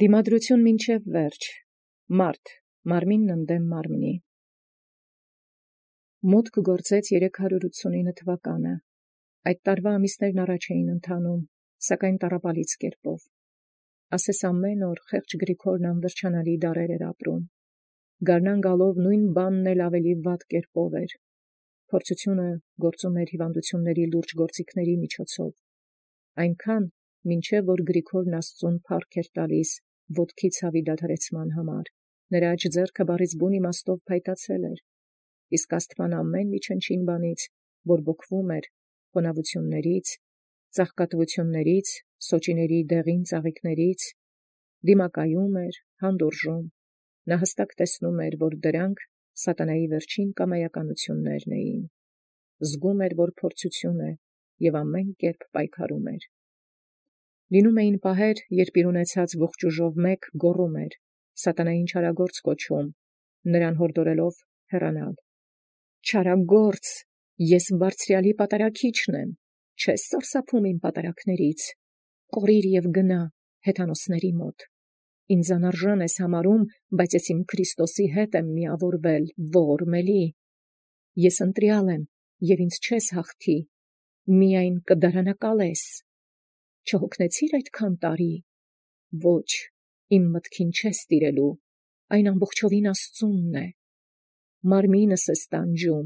Դիմադրություն մինչև վերջ, մարդ, մարմինն ընդդեմ մարմնի։ Մուտք գործեց 389 թվականը, այդ տարվա ամիսներն առաջ էին ընթանում, սակայն տառապալից կերպով։ Ասես ամեն օր խեղճ Գրիգորն անվերջանալի դարեր էր ապրում, գարնան գալով նույն բանն էլ ավելի վատ կերպով էր, փորձությունը գործում էր հիվանդությունների լուրջ գործիքների միջոցով, այնքան, մինչև որ Գրիգորն Աստծուն փառք էր տալիս ոտքի ցավի դադարեցման համար, նրա աջ ձեռքը բառից բուն իմաստով փայտացել էր, իսկ Աստված ամեն մի չնչին բանից, որ բոկվում էր, խոնավություններից, ծաղկատվություններից, սոճիների դեղին ծաղիկներից, դիմակայում էր, հանդուրժում, նա հստակ տեսնում էր, որ դրանք սատանայի վերջին կամայականություններն էին, զգում էր, որ փորձություն է և ամեն կերպ պայքարում էր։ Լինում էին պահեր, երբ իր ունեցած ողջ ուժով մեկ գոռում էր, սատանային չարագործ կոչում, նրան հորդորելով հեռանալ։ Չարագործ, ես բարձրյալի պատարագիչն եմ, չես սարսափում իմ պատարագներից, կորիր և գնա հեթանոսների մոտ։ Ինձ անարժան ես համարում, բայց ես իմ Քրիստոսի հետ եմ միավորվել, ողորմելի։ Ես ընտրյալ եմ, և ինձ չես հաղթի, միայն կդարանակալես։ Չհոգնեցիր այդքան տարի։ Ոչ, իմ մտքին չես տիրելու, այն ամբողջովին Աստծունն է։ Մարմինս ես տանջում,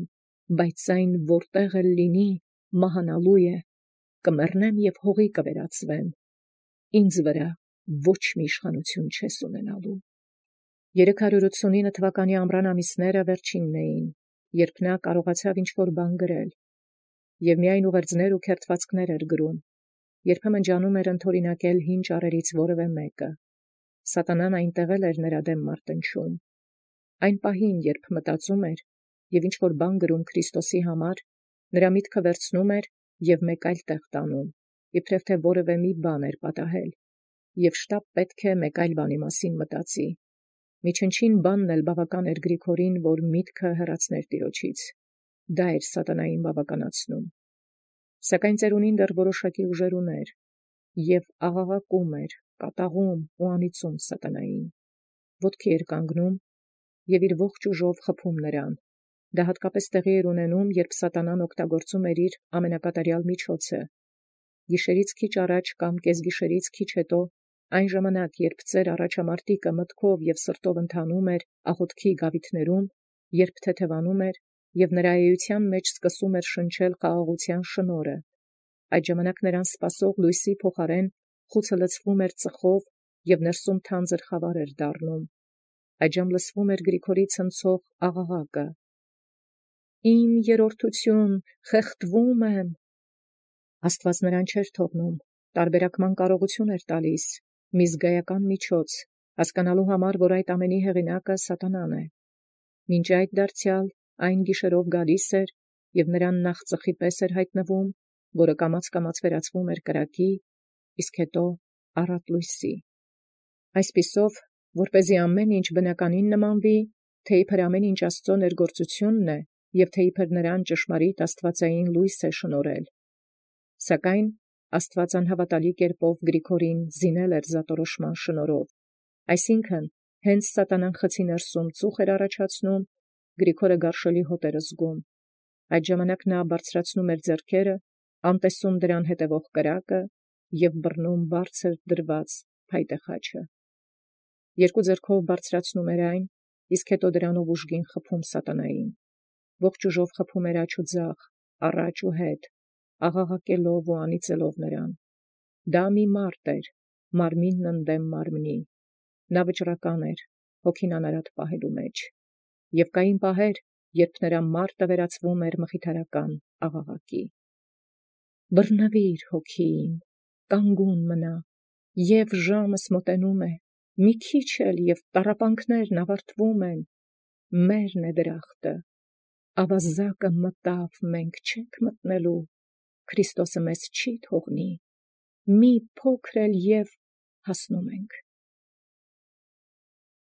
բայց այն որտեղ էլ լինի, մահանալու է, կմեռնեմ և հողի կվերածվեմ, ինձ վրա ոչ մի իշխանություն չես ունենալու։ 389 թվականի ամռան ամիսները վերջինն էին, երբ նա կարողացավ ինչ-որ բան գրել, և միայն ուղերձներ ու քերթվածքներ էր գրում, երբեմն ջանում էր ընդօրինակել հին ճառերից որևէ մեկը։ Սատանան այնտեղ էլ էր նրա դեմ մարտնչում։ Այն պահին, երբ մտածում էր և ինչ-որ բան գրում Քրիստոսի համար, նրա միտքը վերցնում էր և մեկ այլ տեղ տանում, իբրև թե որևէ մի բան էր պատահել, և շտապ պետք է մեկ այլ բանի մասին մտածի։ Միջնչին բանն էլ բավական էր Գրիգորին, որ միտքը հեռացներ Տիրոջից։ Դա էր սատանային բավականացնում։ Սակայն ծերունին դեռ որոշակի ուժեր ուներ, և աղաղակում էր, կատաղում ու անիծում սատանային։ Ոտքի էր կանգնում և իր ողջ ուժով խփում նրան։ Դա հատկապես տեղի էր ունենում, երբ սատանան օգտագործում էր իր ամենակատարյալ միջոցը։ Գիշերից քիչ առաջ կամ կեսգիշերից քիչ հետո, այն ժամանակ, երբ ծեր առաջամարտիկը մտքով և սրտով ընթանում էր աղոթքի գավիթներում, երբ թեթևանում էր, և նրա էության մեջ սկսում էր շնչել խաղաղության շնորհը, այդ ժամանակ նրան սպասող լույսի փոխարեն խուցը լցվում էր ծխով և ներսում թանձր խավար էր դառնում։ Այդժամ լսվում էր Գրիգորի ցնցող աղաղակը. «Իմ երրորդություն, խեղդվում եմ»։ Աստված նրան չէր թողնում, տարբերակման կարողություն էր տալիս, մի զգայական միջոց, հասկանալու համար, որ այդ ամենի հեղինակը սատանան է։ Մինչ այդ դարձյալ այն գիշերով գալիս էր և նրան նախ ծխի պես էր հայտնվում, որը կամաց վերածվում էր կրակի, իսկ հետո առատ լույսի։ Այսպիսով, որպեսզի ամեն ինչ բնականին նմանվի, թե իբր ամեն ինչ Աստծո ներգործությունն է, և թե իբր նրան ճշմարիտ աստվածային լույս է շնորհել։ Սակայն Աստված անհավատալի կերպով Գրիգորին զինել էր զատորոշման շնորհով, այսինքն, հենց սատանան խցի ներսում ծուխ էր առաջացնում, Գրիգորը գարշելի հոտ էր զգում։ Այդ ժամանակ նա բարձրացնում էր ձեռքերը, անտեսում դրան հետևող կրակը և բռնում բարձր դրված փայտե խաչը։ Երկու ձեռքով բարձրացնում էր այն, իսկ հետո դրանով ուժգին խփում սատանային։ Ողջ ուժով խփում էր աջ ու ձախ, առաջ ու հետ, աղաղակելով ու անիծելով նրան։ Դա մի մարդ էր, մարմինն ընդդեմ մարմնի։ Նա վճռական էր, հոգին անարատ պահելու մեջ։ Եվ կային պահեր, երբ նրա մարտը վերածվում էր մխիթարական աղաղակի։ Բռնվիր, հոգի իմ, կանգուն մնա, և ժամս մոտենում է, մի քիչ էլ և տառապանքներն ավարտվում են, մերն է դրախտը, ավազակը մտավ, մենք չենք մտնելու, Քրիստոսը մեզ չի թողնի, մի փոքր էլ և հասնում ենք։